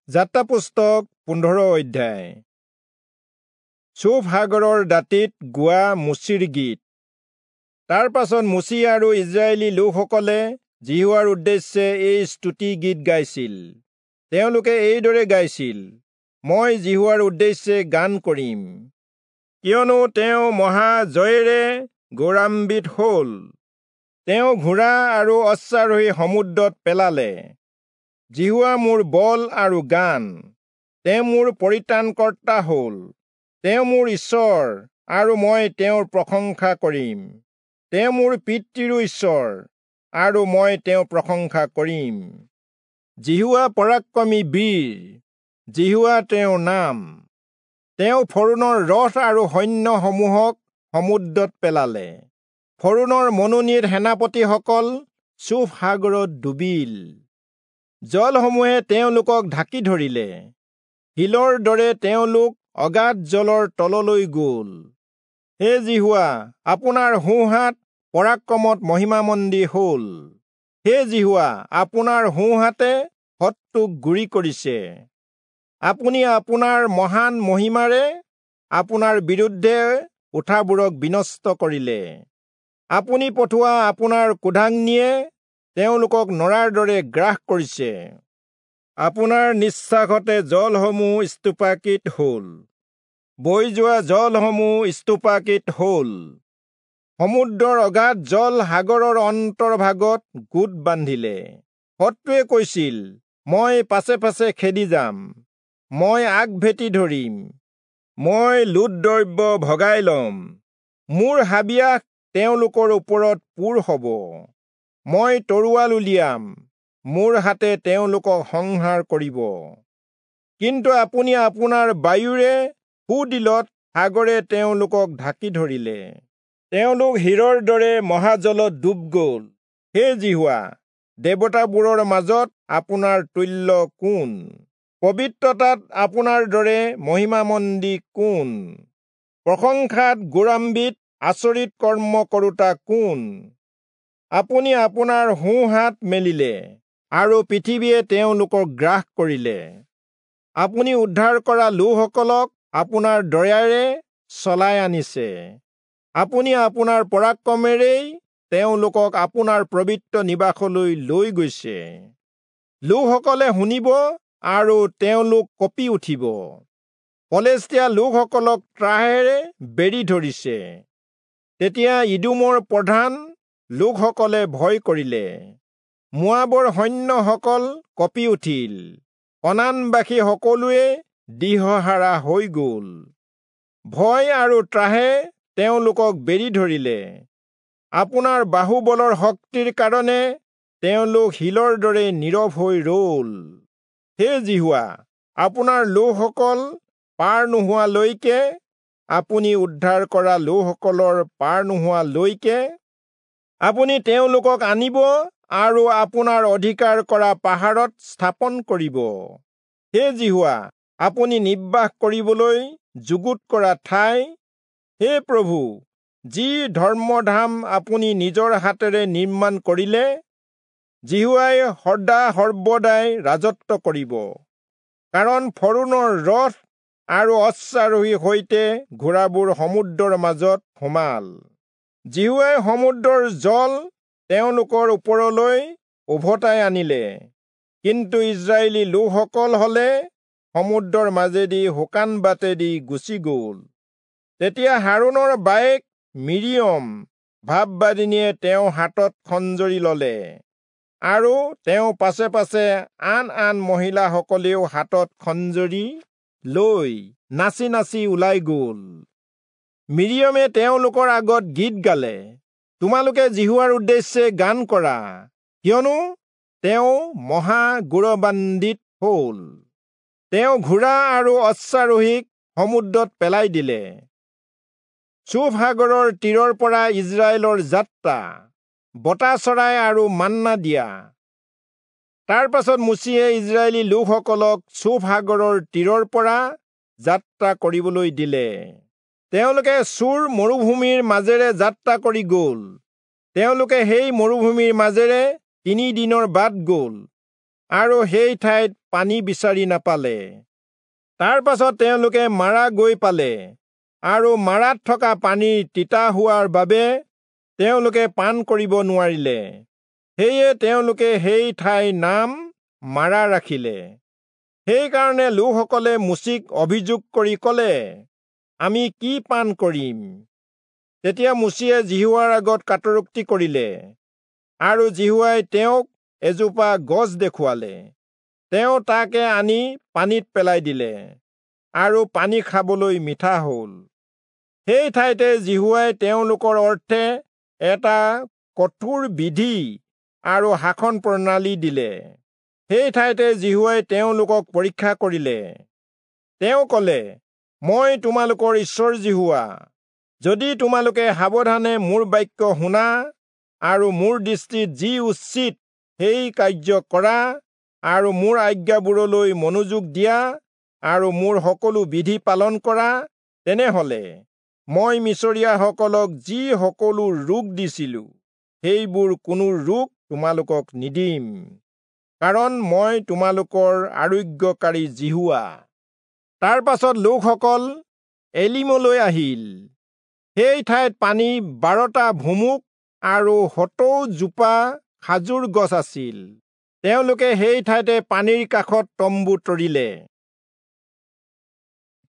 যাত্ৰা পুস্তক 15 অধ্যায়। চুফ সাগৰৰ দাঁতিত গোৱা মোচিৰ গীত। তাৰ পাছত মোচি আৰু ইজৰাইলী লোকসকলে যিহোৱাৰ উদ্দেশ্যে এই স্তুতি গীত গাইছিল। তেওঁলোকে এইদৰে গাইছিল, মই যিহোৱাৰ উদ্দেশ্যে গান কৰিম, কিয়নো তেওঁ মহা জয়েৰে গৌৰৱান্বিত হ'ল। তেওঁ ঘোঁৰা আৰু অশ্বাৰোহী সমুদ্ৰত পেলালে। যিহোৱা মোৰ বল আৰু গান, তেওঁ মোৰ পৰিত্ৰাণকৰ্তা হ'ল। তেওঁ মোৰ ঈশ্বৰ আৰু মই তেওঁৰ প্ৰশংসা কৰিম। তেওঁ মোৰ পিতৃৰো ঈশ্বৰ আৰু মই তেওঁৰ প্ৰশংসা কৰিম। যিহোৱা পৰাক্ৰমী বীৰ, যিহোৱা তেওঁৰ নাম। তেওঁ ফৰোণৰ ৰথ আৰু সৈন্যসমূহক সমুদ্ৰত পেলালে। ফৰোণৰ মনোনীত সেনাপতিসকল চুফ সাগৰত ডুবিল। জলসমূহে তেওঁলোকক ঢাকি ধৰিলে, শিলৰ দৰে তেওঁলোক অগাধ জলৰ তললৈ গ'ল। হে যিহোৱা, আপোনাৰ সোঁহাত পৰাক্ৰমত মহিমামণ্ডিত হ'ল। হে যিহোৱা, আপোনাৰ সোঁহাতে শত্ৰুক গুৰি কৰিছে। আপুনি আপোনাৰ মহান মহিমাৰে আপোনাৰ বিৰুদ্ধে উঠাবোৰক বিনষ্ট কৰিলে। আপুনি পঠোৱা আপোনাৰ ক্ৰোধাগ্নিয়ে তেওঁলোকক নৰাৰ দৰে গ্ৰাস কৰিছে। আপোনাৰ নিশ্বাসতে জলসমূহ স্তূপাকৃত হ'ল, বৈ যোৱা জলসমূহ স্তূপাকৃত হ'ল। সমুদ্ৰৰ অগাধ জল সাগৰৰ অন্তৰ্ভাগত গোট বান্ধিলে। শত্ৰুৱে কৈছিল, মই পাছে পাছে খেদি যাম, মই আগভেটি ধৰিম, মই লুট দ্ৰব্য ভগাই ল'ম, মোৰ হাবিয়াস তেওঁলোকৰ ওপৰত পূৰ হ'ব। মই তৰোৱাল উলিয়াম, মোৰ হাতে তেওঁলোকক সংহাৰ কৰিব। কিন্তু আপুনি আপোনাৰ বায়ুৰে সুদিলত সাগৰে তেওঁলোকক ঢাকি ধৰিলে। তেওঁলোক শিৰৰ দৰে মহাজলত ডুব গ'ল। হে যিহোৱা, দেৱতাবোৰৰ মাজত আপোনাৰ তুল্য কোন? পবিত্ৰতাত আপোনাৰ দৰে মহিমামণ্ডিত কোন? প্ৰশংসাত গৌৰৱান্বিত আচৰিত কৰ্ম কৰোঁতা কোন? আপুনি আপোনাৰ সোঁহাত মেলিলে আৰু পৃথিৱীয়ে তেওঁলোকক গ্ৰাস কৰিলে। আপুনি উদ্ধাৰ কৰা লোকসকলক আপোনাৰ দয়াৰে চলাই আনিছে। আপুনি আপোনাৰ পৰাক্ৰমেৰেই তেওঁলোকক আপোনাৰ পবিত্ৰ নিবাসলৈ লৈ গৈছে। লোকসকলে শুনিব আৰু তেওঁলোক কঁপি উঠিব। পলেষ্টীয়া লোকসকলক ত্ৰাহেৰে বেৰি ধৰিছে। তেতিয়া ইদোমৰ প্ৰধান লোকসকলে ভয় কৰিলে। মোৱাবৰ সৈন্যসকল কঁপি উঠিল। কনানবাসী সকলোৱে দিশহাৰা হৈ গ'ল। ভয় আৰু ত্ৰাহে তেওঁলোকক বেৰি ধৰিলে। আপোনাৰ বাহুবলৰ শক্তিৰ কাৰণে তেওঁলোক শিলৰ দৰে নীৰৱ হৈ ৰ'ল। হে যিহোৱা, আপোনাৰ লোকসকল পাৰ নোহোৱালৈকে, আপুনি উদ্ধাৰ কৰা লোকসকলৰ পাৰ নোহোৱালৈকে, আপুনি তেওঁলোকক আনিব আৰু আপোনাৰ অধিকাৰ কৰা পাহাৰত স্থাপন কৰিব। হে যিহোৱা, আপুনি নিবাস কৰিবলৈ যুগুত কৰা ঠাই, হে প্ৰভু, যি ধৰ্মধাম আপুনি নিজৰ হাতেৰে নিৰ্মাণ কৰিলে, যিহোৱাই সদা সৰ্বদাই ৰাজত্ব কৰিব। কাৰণ ফৰোণৰ ৰথ আৰু অশ্বাৰোহীৰ সৈতে ঘোঁৰাবোৰ সমুদ্ৰৰ মাজত সোমাল। যিহোৱাই সমুদ্ৰৰ জল তেওঁলোকৰ ওপৰলৈ উভতাই আনিলে। কিন্তু ইজৰাইলী লোকসকল হলে সমুদ্ৰৰ মাজেদি শুকান বাটেদি গুচি গ'ল। তেতিয়া হাৰোণৰ বায়েক মিৰিয়ম ভাববাদিনীয়ে তেওঁৰ হাতত খঞ্জৰি ললে আৰু তেওঁ পাছে পাছে আন আন মহিলাসকলেও হাতত খঞ্জৰি লৈ নাচি নাচি ওলাই গ'ল। মিৰিয়মে তেওঁলোকৰ আগত গীত গালে, তোমালোকে যিহোৱাৰ উদ্দেশ্যে গান কৰা, কিয়নো তেওঁ মহা গৌৰৱান্বিত হ'ল। তেওঁ ঘোঁৰা আৰু অশ্বাৰোহীক সমুদ্ৰত পেলাই দিলে। চুফ সাগৰৰ তীৰৰ পৰা ইজৰাইলৰ যাত্ৰা, বতা চৰাই আৰু মান্না দিয়া। তাৰ পাছত মোচিয়ে ইজৰাইলী লোকসকলক চুফ সাগৰৰ তীৰৰ পৰা যাত্ৰা কৰিবলৈ দিলে। তেওঁলোকে চূৰ মৰুভূমিৰ মাজেৰে যাত্ৰা কৰি গ'ল। তেওঁলোকে সেই মৰুভূমিৰ মাজেৰে 3 দিনৰ বাট গ'ল আৰু সেই ঠাইত পানী বিচাৰি নাপালে। তাৰ পাছত তেওঁলোকে মাৰা গৈ পালে, আৰু মাৰাত থকা পানী তিতা হোৱাৰ বাবে তেওঁলোকে পান কৰিব নোৱাৰিলে। সেয়ে তেওঁলোকে সেই ঠাইৰ নাম মাৰা ৰাখিলে। সেইকাৰণে লোকসকলে মোচিক অভিযোগ কৰি কলে, আমি কি পান কৰিম? তেতিয়া মোচিয়ে যিহোৱাৰ আগত কাতৰোক্তি কৰিলে, আৰু যিহোৱাই তেওঁক এজোপা গছ দেখুৱালে। তেওঁ তাকে আনি পানীত পেলাই দিলে, আৰু পানী খাবলৈ মিঠা হল। সেই ঠাইতে যিহোৱাই তেওঁলোকৰ অৰ্থে এটা কঠোৰ বিধি আৰু শাসন প্ৰণালী দিলে। সেই ঠাইতে যিহোৱাই তেওঁলোকক পৰীক্ষা কৰিলে। তেওঁ কলে, মই তোমালোকৰ ঈশ্বৰ যিহোৱা। যদি তোমালোকে সাৱধানে মোৰ বাক্য শুনা আৰু মোৰ দৃষ্টিত যি উচিত সেই কাৰ্য কৰা আৰু মোৰ আজ্ঞাবোৰলৈ মনোযোগ দিয়া আৰু মোৰ সকলো বিধি পালন কৰা, তেনেহলে মই মিচৰীয়াসকলক যি সকলো ৰোগ দিছিলো সেইবোৰ কোনো ৰোগ তোমালোকক নিদিম, কাৰণ মই তোমালোকৰ আৰোগ্যকাৰী যিহোৱা। তাৰ পাছত লোকসকল এলিমলৈ আহিল। সেই ঠাইত পানী 12টা ভুমুক আৰু 70 জোপা খাজুৰ গছ আছিল। তেওঁলোকে সেই ঠাইতে পানীৰ কাষত তম্বু তৰিলে।